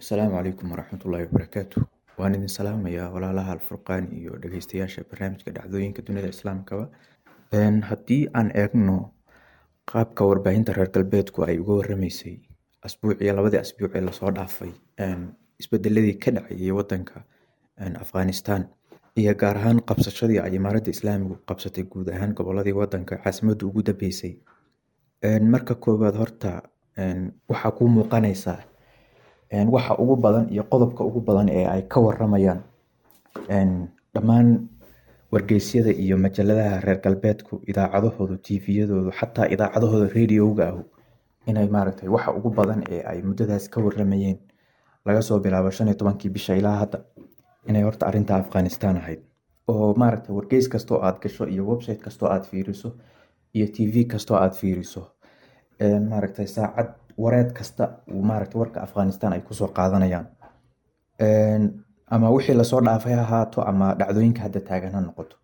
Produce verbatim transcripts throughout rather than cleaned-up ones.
Asalaamu calaykum waraxmatullaahi wabarakaatu. Waan idin salaamayaa walaalaha Alfurqaan iyo dhageystayaasha barnaamijka dhacdooyinka dunida islaamkaba. Haddii aan eegno qaabka warbaahinta reer galbeedku ay uga waramaysay asbuuciyo labadii asbuuc ee lasoo dhaafay isbedeladii ka dhacayay wadanka Afghanistan, iyo gaar ahaan qabsashadii ay Imaaradda Islaamigu qabsatay guud ahaan goboladii wadanka, caasimaddu ugu dambeysay. Marka koowaad horta waxaa kuu muuqanaysaa waxa ugu badan iyo qodobka ugu badan ee ay ka waramayaan dhammaan wargeysyada iyo majaladaha reer galbeedku, idaacadahoodu, T V-yadoodu, xataa idaacadahooda radioga ahu, inay maaragtay waxa ugu badan ee ay muddadaas ka waramayeen laga soo bilaabo shan iyo tobankii bisha ilaa hadda inay horta arrinta Afghanistan ahayd, oo maaragtay wargeys kastoo aad gasho iyo website kastoo aad fiiriso iyo T V kastoo aad fiiriso, maaragtay saacad wareed kasta uu maaragtay warka Afghanistan ay kusoo qaadanayaan, ama wixii lasoo dhaafay ha ahaato ama dhacdooyinka hadda taagan ha noqoto.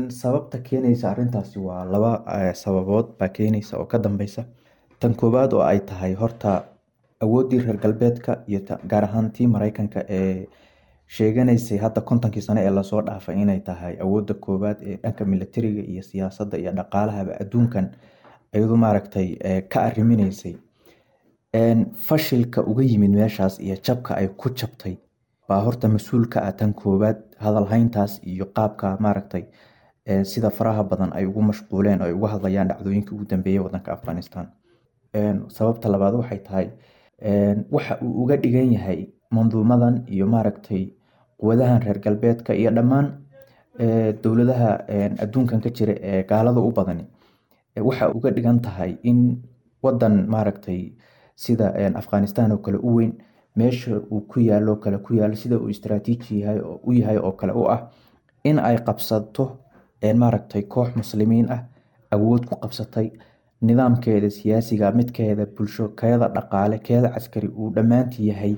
Sababta keenaysa arrintaasi waa laba sababood baa keenaysa oo ka dambeysa. Tan koowaad oo ay tahay horta awooddii reer galbeedka iyo gaar ahaan tii Mareykanka ee sheeganaysay hadda kontonkii sano ee lasoo dhaafay inay tahay awoodda koowaad ee dhanka militariga iyo siyaasadda iyo dhaqaalahaba adduunkan iyadu maaragtay ka arriminaysay, fashilka uga yimid meeshaas iyo jabka ay ku jabtay baa horta mas-uul ka ah tan koowaad hadalhayntaas iyo qaabka maaragtay sida faraha badan ay ugu mashquuleen oo ay uga hadlayaan dhacdooyinkii ugu dambeeyay wadanka Afghanistan. Sababta labaad waxay tahay waxa uu uga dhigan yahay manduumadan iyo maaragtay quwadahan reer galbeedka iyo dhammaan dowladaha adduunkan ka jira ee gaalada u badani, waxa uga dhigan tahay in wadan maaragtay sida Afghanistan oo kale u weyn, meesha uu ku yaalo kale ku yaalo, sida uu istaraatiiji yahay u yahay oo kale u ah, in ay qabsato maaragtay koox Muslimiin ah, awood ku qabsatay, nidaamkeeda siyaasiga, midkeeda bulsho, keeda dhaqaale, keeda caskari uu dhammaantii yahay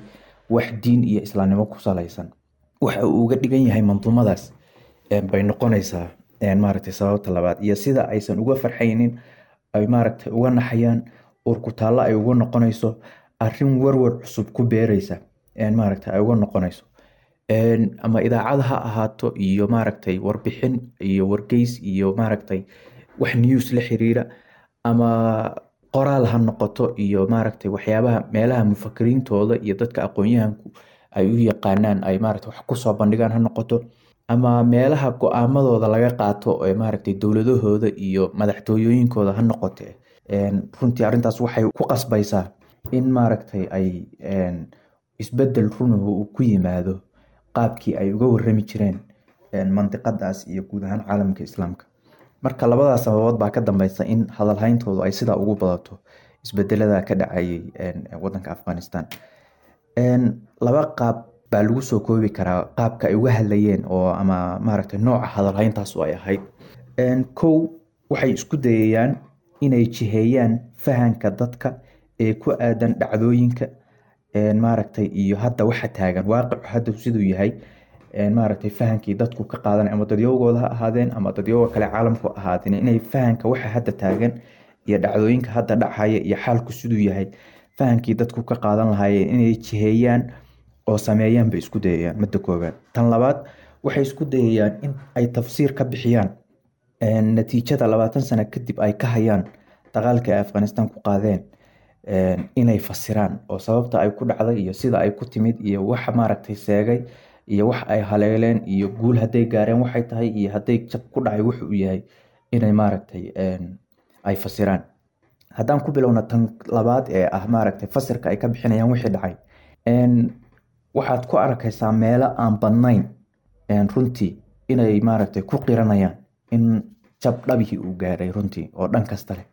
wax diin iyo islaamnimo ku salaysan. Waxa uu uga dhigan yahay manduumadaas bay noqonaysaa maaragtay sababta labaad, iyo sida aysan uga farxaynin, ay maaragtay uga naxayaan, uurkutaallo ay uga noqonayso, arrin warwar cusub ku beereysa maaragtay ay uga noqonayso, ama idaacad ha ahaato iyo maaragtay warbixin iyo wargeys iyo maaragtay wax news la xiriira, ama qoraal ha noqoto iyo maaragtay waxyaabaha meelaha mufakiriintooda iyo dadka aqoon-yahanku ay u yaqaanaan ay maaragtay wax kusoo bandhigaan ha noqoto, ama meelaha go-aamadooda laga qaato ee maaragtay dowladahooda iyo madaxtooyooyinkooda ha noqote. Runtii arrintaas waxay ku qasbaysaa in maaragtay ay isbedel runuhu uu ku yimaado qaabkii ay uga warami jireen mandiqadaas iyo guud ahaan caalamka Islaamka. Marka labadaas sababood baa ka dambeysa in hadalhayntoodu ay sidaa ugu badato isbedelada ka dhacayay wadanka Afghanistan. Laba qaab baa lagu soo koobi karaa qaabka ay uga hadlayeen oo ama maaragtay nooca hadalhayntaas oo ay ahayd. Kow, waxay isku dayayaan inay jiheeyaan fahanka dadka ee ku aadan dhacdooyinka maaragtay iyo hadda waxa taagan, waaqicu hadda siduu yahay, maaragtay fahankii dadku ka qaadanay, ama dadyowgooda ha ahaadeen ama dadyowga kale caalamku ha ahaadeen, inay fahanka waxa hadda taagan iyo dhacdooyinka hadda dhacaya iyo xaalku siduu yahay fahankii dadku ka qaadan lahaayeen inay jiheeyaan oo sameeyaan bay isku dayayaan, midda koowaad. Tan labaad, waxay isku dayayaan in ay tafsiir ka bixiyaan natiijada labaatan sano kadib ay ka hayaan dagaalka ay Afghanistan ku qaadeen, inay fasiraan oo sababta ay ku dhacday iyo sida ay ku timid iyo waxa maaragtay seegay iyo wax ay haleeleen iyo guul hadday gaareen waxay tahay iyo hadday jab ku dhacay wuxuu uu yahay, inay maaragtay ay fasiraan. Haddaan ku bilowna tan labaad ee ah maaragtay fasirka ay ka bixinayaan wixii dhacay, waxaad ku arkaysaa meelo aan badnayn runtii inay maaragtay ku qiranayaan in jab dhabihii uu gaaray runtii oo dhan kasta leh,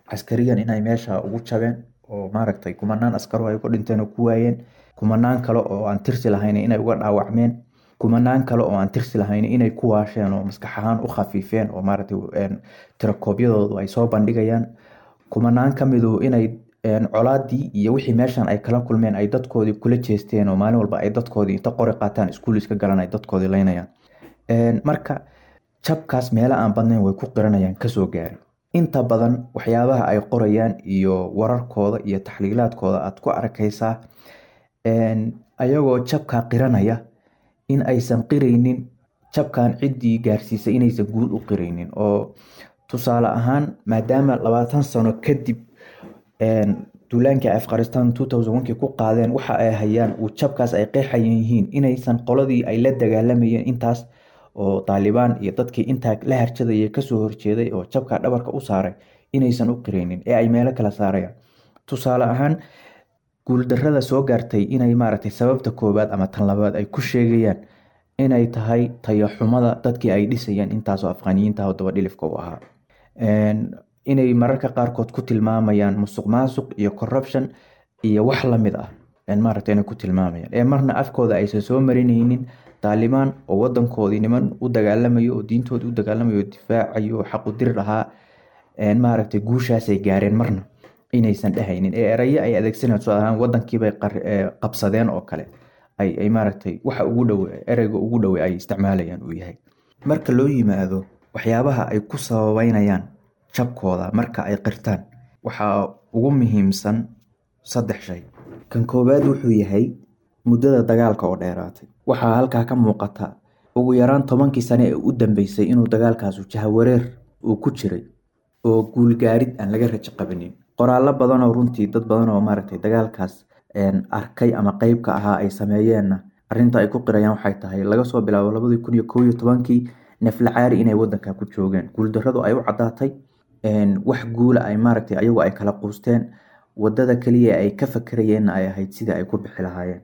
caskariyan inay meesha ugu jabeen oo maaragtay kumanaan askaro ay ku dhinteen oo ku waayeen, kumanaan kale oo aan tirsi lahayn inay uga dhaawacmeen, kumanaan kale oo aan tirsi lahayn inay ku waasheen oo maskax ahaan u khafiifeen oo maaragtay tirakoobyadoodu ay soo bandhigayaan, kumanaan ka midu inay colaadii iyo wixii meeshan ay kala kulmeen ay dadkoodii kula jeesteen oo maalin walba ay dadkoodii inta qori qaataan iskuul iska galan ay dadkoodii leynayaan. Marka jabkaas meelo aan badnayn way ku qiranayaan kasoo gaaray. Inta badan waxyaabaha ay qorayaan iyo wararkooda iyo taxliilaadkooda aad ku arkaysaa Ayagoo jabkaa qiranaya in aysan qiraynin jabkan ciddii gaarsiisay, inaysan guul u qiraynin. Oo tusaale ahaan, maadaama labaatan sano kadib duulaankii Afghanistan two thousand one kii ku qaadeen, waxa ay hayaan uu jabkaas ay qeexayan yihiin, inaysan qoladii ay la dagaalamayeen intaas oo Taalibaan iyo dadkii intaa la harjadayay kasoo horjeeday oo jabka dhabarka u saaray inaysan u qiraynin ee ay meelo kala saarayaan. Tusaale ahaan, guuldarrada soo gaartay inay maaragtay sababta koowaad ama tan labaad ay ku sheegayaan inay tahay tayaxumada dadkii ay dhisayeen intaasoo Afghaniyiinta oo dabadhilifka u ahaa, inay mararka qaarkood ku tilmaamayaan musuq maasuq iyo corruption iyo wax lamid ah, maaragtay inay ku tilmaamayaan ee marna afkooda aysan soo marinaynin Taalibaan oo wadankoodii niman u dagaalamayo oo diintoodii u dagaalamayo oo difaacayo oo xaq u dirir ahaa, maaragtay guushaasay gaareen marna inaysan dhehaynin ee erayo ay adeegsanayaan, tusaale ahaan wadankiibay qabsadeen oo kale, ay ay maaragtay waxa ugu dhow ereyga ugu dhow ay isticmaalayaan uu yahay. Marka loo yimaado waxyaabaha ay ku sababeynayaan jabkooda marka ay qirtaan, waxaa ugu muhiimsan saddex shay. Kan koowaad wuxuu yahay muddada dagaalka oo dheeraatay. Waxaa halkaa ka muuqata ugu yaraan tobankii sane ee u dambeysay inuu dagaalkaasu jahawareer uu ku jiray oo guulgaarid aan laga rajo qabinin. Qoraallo badan oo runtii dad badan oo maaragtay dagaalkaas arkay ama qeyb ka ahaa ay sameeyeenna arrinta ay ku qirayaan waxay tahay laga soo bilaabo labadii kun iyo kow iyo tobankii naflacaari inay wadanka ku joogeen, guuldarradu ay u caddaatay, wax guula ay maaragtay ayagu ay kala quusteen, wadada kaliya ay ka fakarayeenna ay ahayd sidii ay ku bixi lahaayeen.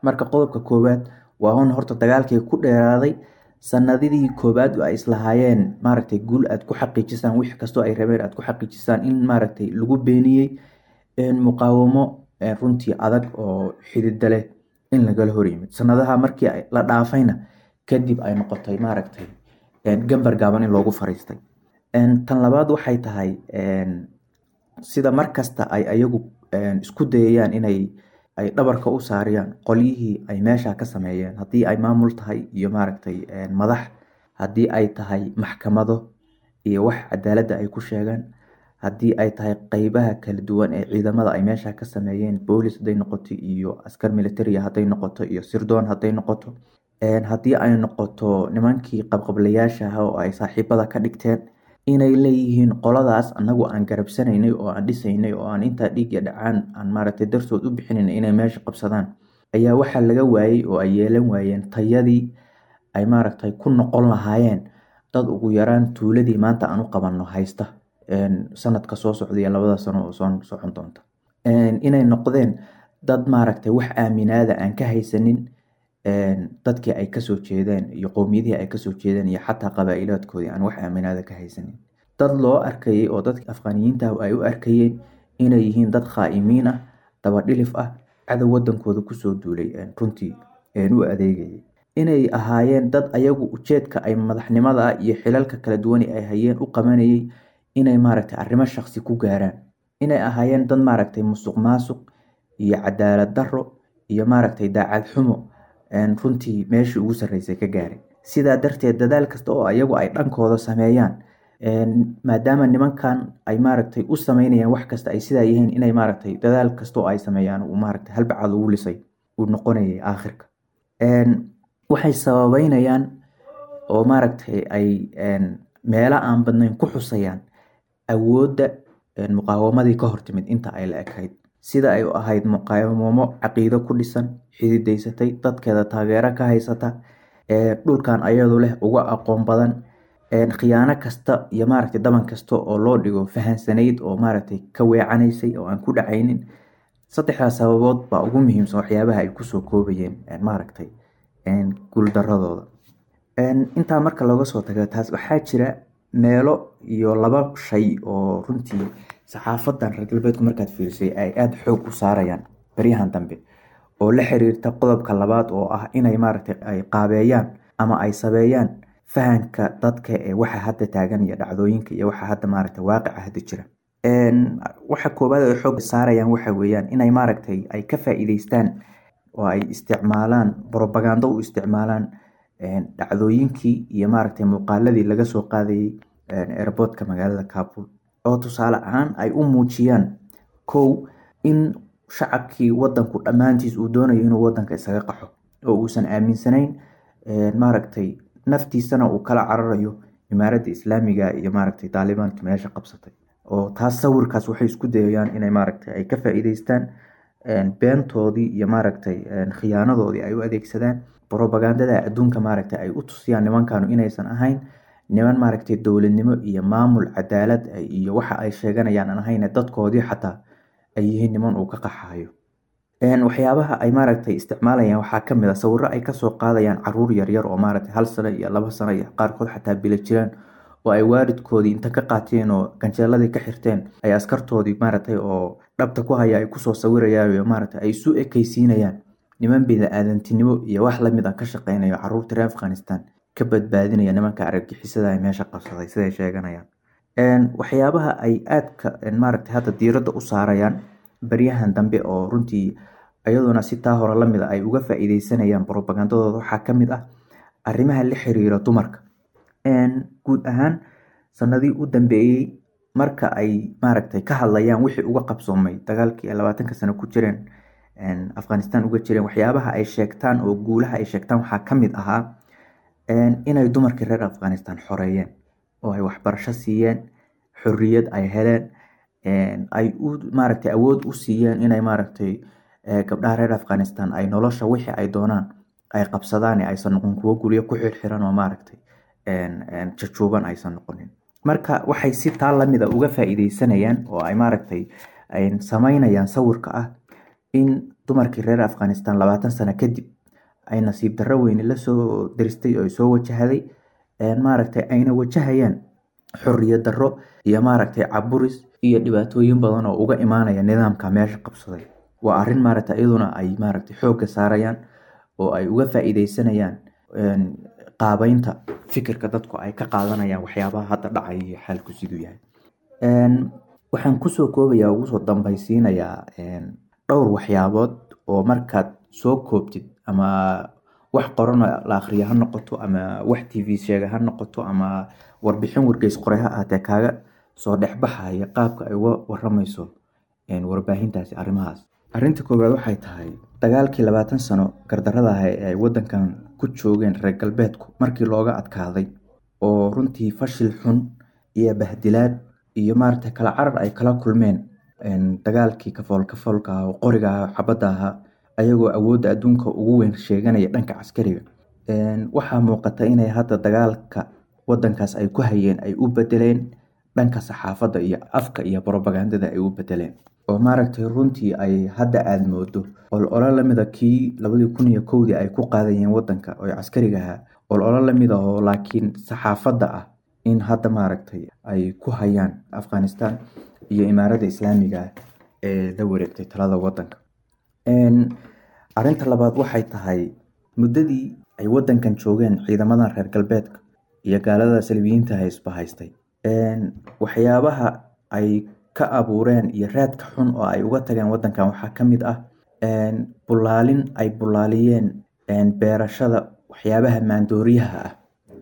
Marka qodobka koowaad waa un horta dagaalkii ku dheeraaday, sanadidii koowaad ay islahaayeen maaragtay guul aad ku xaqiijisaan wix kastoo ay rabeen aad ku xaqiijisaan in maaragtay lagu beeniyey, muqaawamo runtii adag oo xidida leh in lagala hor yimid. Sanadaha markii la dhaafayna kadib ay noqotay maaragtay gambar gaaban in loogu fariistay. Tan labaad waxay tahay sida markasta ay ayagu isku dayayaan inay ay dhabarka u saariyaan qolyihii ay meesha ka sameeyeen, haddii ay maamul tahay iyo maaragtay madax, haddii ay tahay maxkamado iyo wax cadaaladda ay ku sheegaan, haddii ay tahay qeybaha kala duwan ee ciidamada ay meesha ka sameeyeen, boolis hadday noqoto iyo askar military hadday noqoto iyo sirdoon hadday noqoto, haddii ay noqoto nimankii qabqablayaasha ahaa oo ay saaxiibada ka dhigteen, inay leeyihiin qoladaas annagu aan garabsanaynay oo aan dhisaynay oo aan intaa dhiig iyo dhacaan aan maaragtay dartood u bixinaynay inay meesha qabsadaan, ayaa waxaa laga waayey oo ay yeelan waayeen tayadii ay maaragtay ku noqon lahaayeen dad ugu yaraan tuuladii maanta aan u qabanno haysta sanadka soo socda iyo labada sano oo soo socon doonta, inay noqdeen dad maaragtay wax aaminaada aan ka haysanin dadkii ay kasoo jeedeen iyo qowmiyadihii ay kasoo jeedeen iyo xataa qabaa'ilaadkoodii aan wax aaminaada ka haysanin, dad loo arkayay oo dadka Afghaniyiinta ay u arkayeen inay yihiin dad khaa'imiin ah, dabadhilif ah, cadow wadankooda kusoo duulay runtii u adeegayay, inay ahaayeen dad ayagu ujeedka ay madaxnimada iyo xilalka kala duwan ay hayeen u qabanayay inay maaragtay arrimo shakhsi ku gaaraan, inay ahaayeen dad maaragtay musuq maasuq iyo cadaalad darro iyo maaragtay daacad xumo runtii meeshii ugu sarreysay ka gaaray. Sidaa darteed dadaal kasta oo ayagu ay dhankooda sameeyaan, maadaama nimankan ay maaragtay u sameynayaan wax kasta ay sidaa yihiin, inay maaragtay dadaal kasta oo ay sameeyaan uu maaragtay halbacaad ugu lisay uu noqonayay aakhirka. Waxay sababeynayaan oo maaragtay ay meelo aan badnayn ku xusayaan awoodda muqaawamadii ka hortimid inta ay la ekayd, sida ay u ahayd muqaawamo caqiido ku dhisan, xididaysatay, dadkeeda taageero ka haysata, dhulkan ayadu leh uga aqoon badan, khiyaano kasta iyo maaragtay daban kasta oo loo dhigo fahansanayd oo maaragtay ka weecanaysay oo aan ku dhacaynin. Saddexdaas sababood baa ugu muhiimsan waxyaabaha ay kusoo koobayeen maaragtay guuldaradooda. Intaa marka looga soo tago taas, waxaa jira meelo iyo laba shay oo runtii saxaafadan reer galbeedku markaad fiirisay ay aada xoog u saarayaan baryahan dambe oo la xiriirta qodobka labaad oo ah inay maaragtay ay qaabeeyaan ama ay sabeeyaan fahanka dadka ee waxa hadda taagan iyo dhacdooyinka iyo waxa hadda maaragtay waaqica hadda jira. Waxa koowaad ay xoog saarayaan waxa weeyaan inay maaragtay ay ka faa'iideystaan oo ay isticmaalaan propaganda u isticmaalaan dhacdooyinkii iyo maaragtay muuqaaladii laga soo qaadayay airportka magaalada Kabul, oo tusaale ahaan ay u muujiyaan kow in shacabkii wadanku dhammaantiis uu doonayo inuu wadanka isaga qaxo oo uusan aaminsanayn, maaragtay, naftiisana uu kala cararayo Imaaradda Islaamiga iyo, maaragtay, Taalibaanka meesha qabsatay. Oo taas sawirkaas waxay isku dayayaan inay, maaragtay, ay ka faa'iideystaan, beentoodii iyo, maaragtay, khiyaanadoodii ay u adeegsadaan, propagandada adduunka, maaragtay, ay u tusiyaan nimankanu inaysan ahayn niman, maaragtay, dowladnimo iyo maamul cadaalad iyo waxa ay sheeganayaan aan ahayn, dadkoodii xataa ay yihiin niman uu ka qaxayo. Waxyaabaha ay, maaragtay, isticmaalayaan waxaa kamid ah sawiro ay kasoo qaadayaan caruur yaryar oo, maaragtay, hal sano iyo laba sano iyo qaarkood xataa bilo jiraan, oo ay waalidkoodii inta ka qaateen oo ganjeeladii ka xirteen ay askartoodii, maaragtay, oo dhabta ku haya ay kusoo sawirayaan iyo, maaragtay, ay isu ekeysiinayaan niman bini-aadantinimo iyo wax lamid ah ka shaqeynayo, caruurta reer Afghanistan ka badbaadinaya nimanka argagixisada ee meesha qabsaday, siday sheeganayaan. Waxyaabaha ay aadka, maaragtay, hadda diiradda u saarayaan baryahan dambe, oo runtii iyaduna si taa hore lamid ah ay uga faa'iideysanayaan propagandadooda, waxaa kamid ah arrimaha la xiriira dumarka. Guud ahaan sanadihii u dambeeyey, marka ay, maaragtay, ka hadlayaan wixii uga qabsoomay dagaalkii ay labaatanka sano ku jireen Afghanistan uga jireen, waxyaabaha ay sheegtaan oo guulaha ay sheegtaan waxaa kamid ahaa inay dumarkii reer Afghanistan xoreeyeen oo ay waxbarasho siiyeen, xorriyad ay heleen, ay u, maaragtay, awood u siiyeen inay, maaragtay, gabdhaha reer Afghanistan ay nolosha wixii ay doonaan ay qabsadaan, ee aysan noqon kuwo guryo ku xirxiran oo, maaragtay, jajuuban aysan noqonin. Marka waxay si taa lamid ah uga faa'iideysanayaan oo ay, maaragtay, ay sameynayaan sawirka ah in dumarkii reer Afghanistan labaatan sano kadib ay nasiib darro weyne lasoo diristay oo ay soo wajahday, maaragtay, ayna wajahayaan xorriyad darro iyo, maaragtay, caburis iyo dhibaatooyin badan oo uga imaanaya nidaamka meesha qabsaday. Waa arrin, maaragtay, iyaduna ay, maaragtay, xoogga saarayaan oo ay uga faa'iideysanayaan qaabeynta fikirka dadku ay ka qaadanayaan waxyaabaha hadda dhacaya iyo xaalku siduu yahay. Waxaan kusoo koobayaa, ugu soo dambaysiinayaa dhowr waxyaabood oo markaad soo koobtid, ama wax qoran la akhriyo ha noqoto, ama wax T V sheega ha noqoto, ama warbixin wargeys qoray ha ahaatee, kaaga soo dhexbaxaya qaabka ay uga waramayso warbaahintaasi arrimahaas. Arrinta koowaad waxay tahay dagaalkii labaatan sano gardarrada ah ee ay wadankan ku joogeen reer galbeedku markii looga adkaaday, oo runtii fashil xun iyo bahdilaad iyo, maaragtay, kala carar ay kala kulmeen dagaalkii kafool kafoolka ah oo qoriga ah, xabadda ahaa, ayagoo awoodda adduunka ugu weyn sheeganaya dhanka caskariga, waxaa muuqata inay hadda dagaalka wadankaas ay ku hayeen ay u bedeleen dhanka saxaafadda iyo afka iyo propagandada ay u bedeleen, oo, maaragtay, runtii ay hadda aada moodo olole lamida kii labadii kun iyo kowdii ay ku qaadayeen wadanka oo caskariga ahaa, olole lamid ah oo laakiin saxaafadda ah in hadda, maaragtay, ay ku hayaan Afghanistan iyo Imaaradda Islaamiga ah ee la wareegtay talada wadanka. Arrinta labaad waxay tahay muddadii ay wadankan joogeen ciidamadan reer galbeedka iyo gaalada saliibiyiinta isbahaystay, waxyaabaha ay ka abuureen iyo raadka xun oo ay uga tageen wadankan waxaa kamid ah bulaalin ay bulaaliyeen beerashada waxyaabaha maandooriyaha ah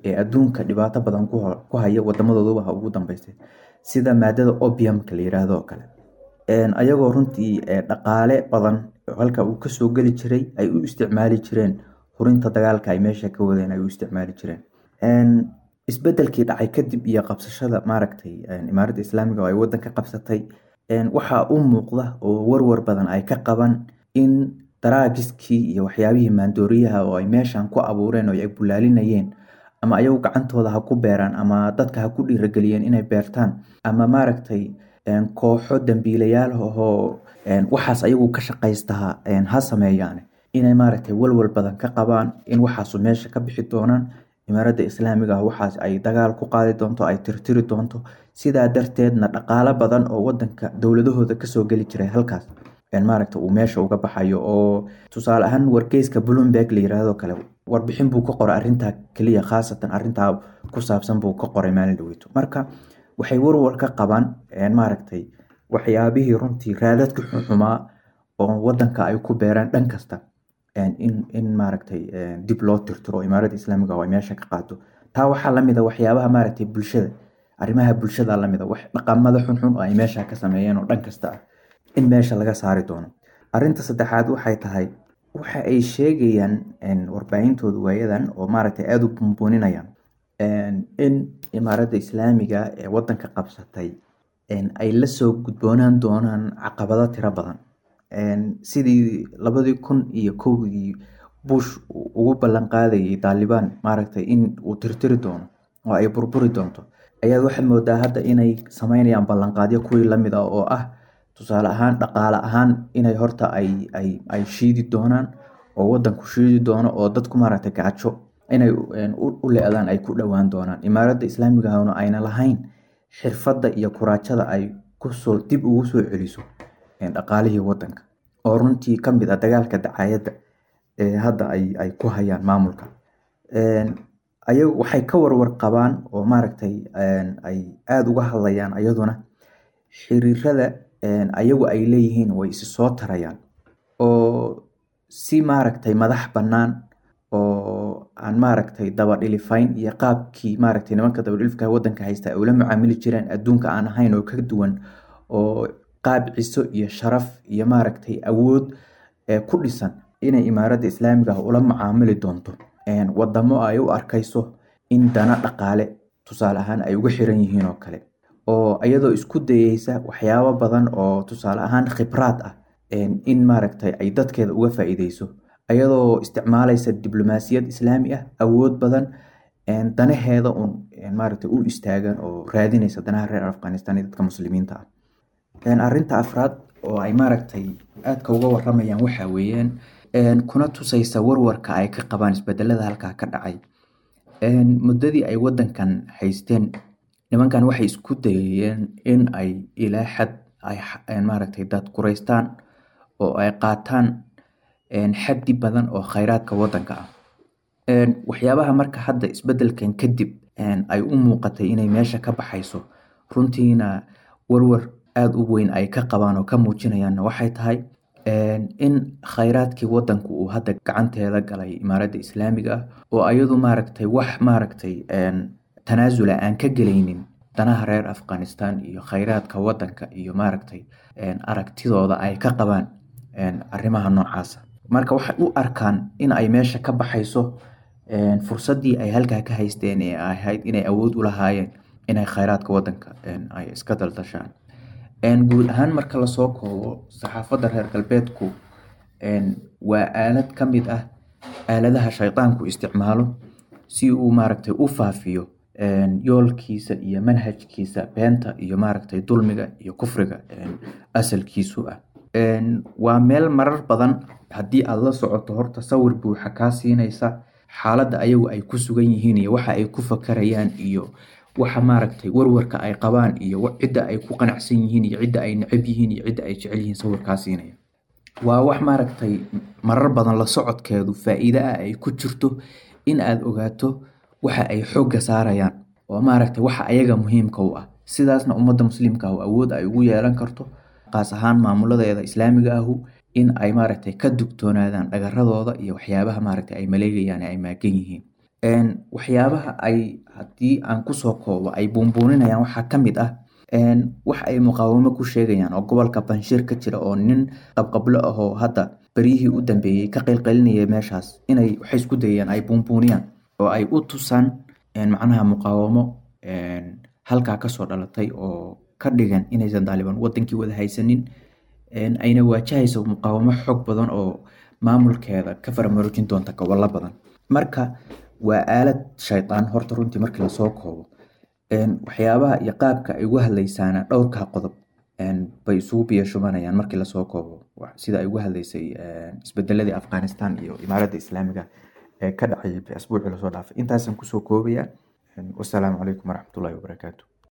ee adduunka dhibaato badan ku haya, wadamadooduba ha ugu dambeysay, sida maadada opiumka la yiraahdo oo kale, ayagoo runtii dhaqaale badan halka uu kasoo geli jiray ay u isticmaali jireen hurinta dagaalka ay meesha ka wadeen ay u isticmaali jireen. Isbedelkii dhacay kadib iyo qabsashada, maaragtay, Imaaradda Islaamiga oo ay wadanka qabsatay, waxaa u muuqda oo warwar badan ay ka qaban in daraagiskii iyo waxyaabihii maandooriyaha oo ay meeshan ku abuureen oo ay bulaalinayeen, ama ayagu gacantooda ha ku beeraan ama dadka ha ku dhiirageliyeen inay beertaan, ama, maaragtay, kooxo dambiilayaal ahoo waxaas ayagu ka shaqaystaha ha sameeyaan, inay, maaragtay, walwal badan ka qabaan in waxaasu meesha ka bixi doonaan, Imaaradda Islaamiga ah waxaas ay dagaal ku qaadi doonto, ay tirtiri doonto, sidaa darteedna dhaqaalo badan oo wadanka dowladahooda kasoo geli jiray halkaas, maaragta, uu meesha uga baxayo. Oo tusaale ahaan wargeyska Bloomberg la yiraahdo kale warbixin buu ka qoray arrintaa keliya, khaasatan arrintaa ku saabsan buu ka qoray maalin dhaweyto. Marka waxay warwar ka qabaan, maaragtay, waxyaabihii runtii raadadka xuxumaa oo wadanka ay ku beeraan dhan kasta in in maaragtay, dib loo tirtiro Imaaradda Islaamiga oo ay meesha ka qaado. Taa waxaa lamid a waxyaabaha, maaragtay, bulshada, arrimaha bulshada lamid a, wax dhaqamada xunxun oo ay meesha ka sameeyeen oo dhan kasta ah in meesha laga saari doono. Arrinta saddexaad waxay tahay, waxa ay sheegayaan warbaahintooda waayadan oo maaragtay aada u buunbuuninayaan in Imaaradda Islaamiga ee wadanka qabsatay ay lasoo gudboonaan doonaan caqabado tiro badan, sidii labadii kun iyo kowdii Bush ugu ballan qaadayay Taalibaan maaragtay in uu tirtiri doono oo ay burburi doonto, ayaad waxaad moodaa hadda inay sameynayaan ballanqaadyo kuwii lamid ah, oo ah tusaale ahaan dhaqaale ahaan inay horta ay ay ay shiidi doonaan oo wadanku shiidi doono oo dadku maaragtay gaajo inay u le-daan ay ku dhowaan doonaan. Imaaradda Islaamiga ahna ayna lahayn xirfadda iyo kuraajada ay kusoo dib ugu soo celiso dhaqaalihii wadanka, oo runtii ka mid ah dagaalka dacaayadda ee hadda ay ay ku hayaan maamulka. Ayagu waxay ka warwar qabaan oo maaragtay ay aada uga hadlayaan ayaduna xiriirada ayagu ay leeyihiin way isi soo tarayaan oo si maaragtay madax bannaan oo aan maaragtay dabadhilifayn iyo qaabkii maaragtay nimanka dabadhilifka wadanka haysta ay ula macaamili jireen adduunka aan ahayn oo ka duwan, oo qaab ciso iyo sharaf iyo maaragtay awood ku dhisan inay Imaaradda Islaamiga ah ula macaamili doonto wadamo ay u arkayso in dana dhaqaale tusaale ahaan ay uga xiran yihiin oo kale, oo iyadoo isku dayeysa waxyaabo badan oo tusaale ahaan khibraad ah in maaragtay ay dadkeeda uga faa'iideyso, ayadoo isticmaalaysa diblomaasiyad islaami ah awood badan, danaheeda un maaragtay u istaagan oo raadinaysa danaha reer Afghanistan iyo dadka muslimiinta ah. Arrinta afraad oo ay maaragtay aadka uga waramayaan waxa weeyaan kuna tusaysa warwarka ay ka qabaan isbedelada halkaa ka dhacay. Muddadii ay wadankan haysteen nimankan waxay isku dayayeen in ay ilaa xad ay maaragtay dad kuraystaan oo ay qaataan xaddi badan oo khayraadka wadanka ah. Waxyaabaha marka hadda isbedelkan kadib ay u muuqatay inay meesha ka baxayso, runtiina warwar aada u weyn ay ka qabaan oo ka muujinayaanna waxay tahay in khayraadkii wadanku uu hadda gacanteeda galay Imaaradda Islaamiga ah, oo ayadu maaragtay wax maaragtay tanaasula aan ka gelaynin danaha reer Afghanistan iyo khayraadka wadanka iyo maaragtay aragtidooda ay ka qabaan arrimaha noocaasa. Marka waxay u arkaan in ay meesha ka baxayso fursaddii ay halkaa ka haysteen ee ahayd inay awood u lahaayeen inay khayraadka wadanka ay iska daldashaan. Guud ahaan marka lasoo koobo, saxaafadda reer galbeedku waa aalad ka mid ah aaladaha shaydaanku isticmaalo si uu maaragtay u faafiyo yoolkiisa iyo manhajkiisa beenta iyo maaragtay dulmiga iyo kufriga asalkiisu ah. Waa meel marar badan haddii aad la socoto horta sawir buuxa kaa siinaysa xaaladda ayagu ay ku sugan yihiin iyo waxa ay ku fakarayaan iyo waxa maaragtay warwarka ay qabaan iyo cidda ay ku qanacsan yihiin iyo cidda ay neceb yihiin iyo cidda ay jecel yihiin sawir kaa siinaya. Waa wax maaragtay marar badan la socodkeedu faa'iido ah ay ku jirto in aad ogaato waxa ay xoogga saarayaan oo maaragtay waxa ayaga muhiimka u ah, sidaasna ummadda muslimka ah awood ay ugu yeelan karto qaas ahaan maamuladeeda islaamiga ahu in ay maaragtay ka dugtoonaadaan dhagaradooda iyo waxyaabaha maaragtay ay maleegayaan ee ay maagan yihiin. Waxyaabaha ay haddii aan kusoo koobo ay buunbuuninayaan waxaa ka mid ah wax ay muqaawamo ku sheegayaan oo gobolka Banshiir ka jira oo nin qabqablo ah oo hadda beryihii u dambeeyey ka qaylqaylinaya meeshaas inay waxay isku dayayaan ay buunbuuniyaan oo ay u tusaan macnaha muqaawamo halkaa kasoo dhalatay oo ka dhigan inaysan Taalibaan wadankii wada haysanin, ayna waajahayso muqaawamo xoog badan oo maamulkeeda ka faramarojin doonta gobollo badan. Marka waa aalad shaydaan horta runtii markii lasoo koobo. Waxyaabaha iyo qaabka ay uga hadlaysaana dhowrkaa qodob bay isugu biyo shubanayaan markii lasoo koobo, sida ay uga hadlaysay isbedeladii Afghanistan iyo Imaaradda Islaamiga ee ka dhacay asbuucii lasoo dhaafay. Intaasaan kusoo koobaya. Wassalaamu calaykum waraxmatullaahi wabarakaatu.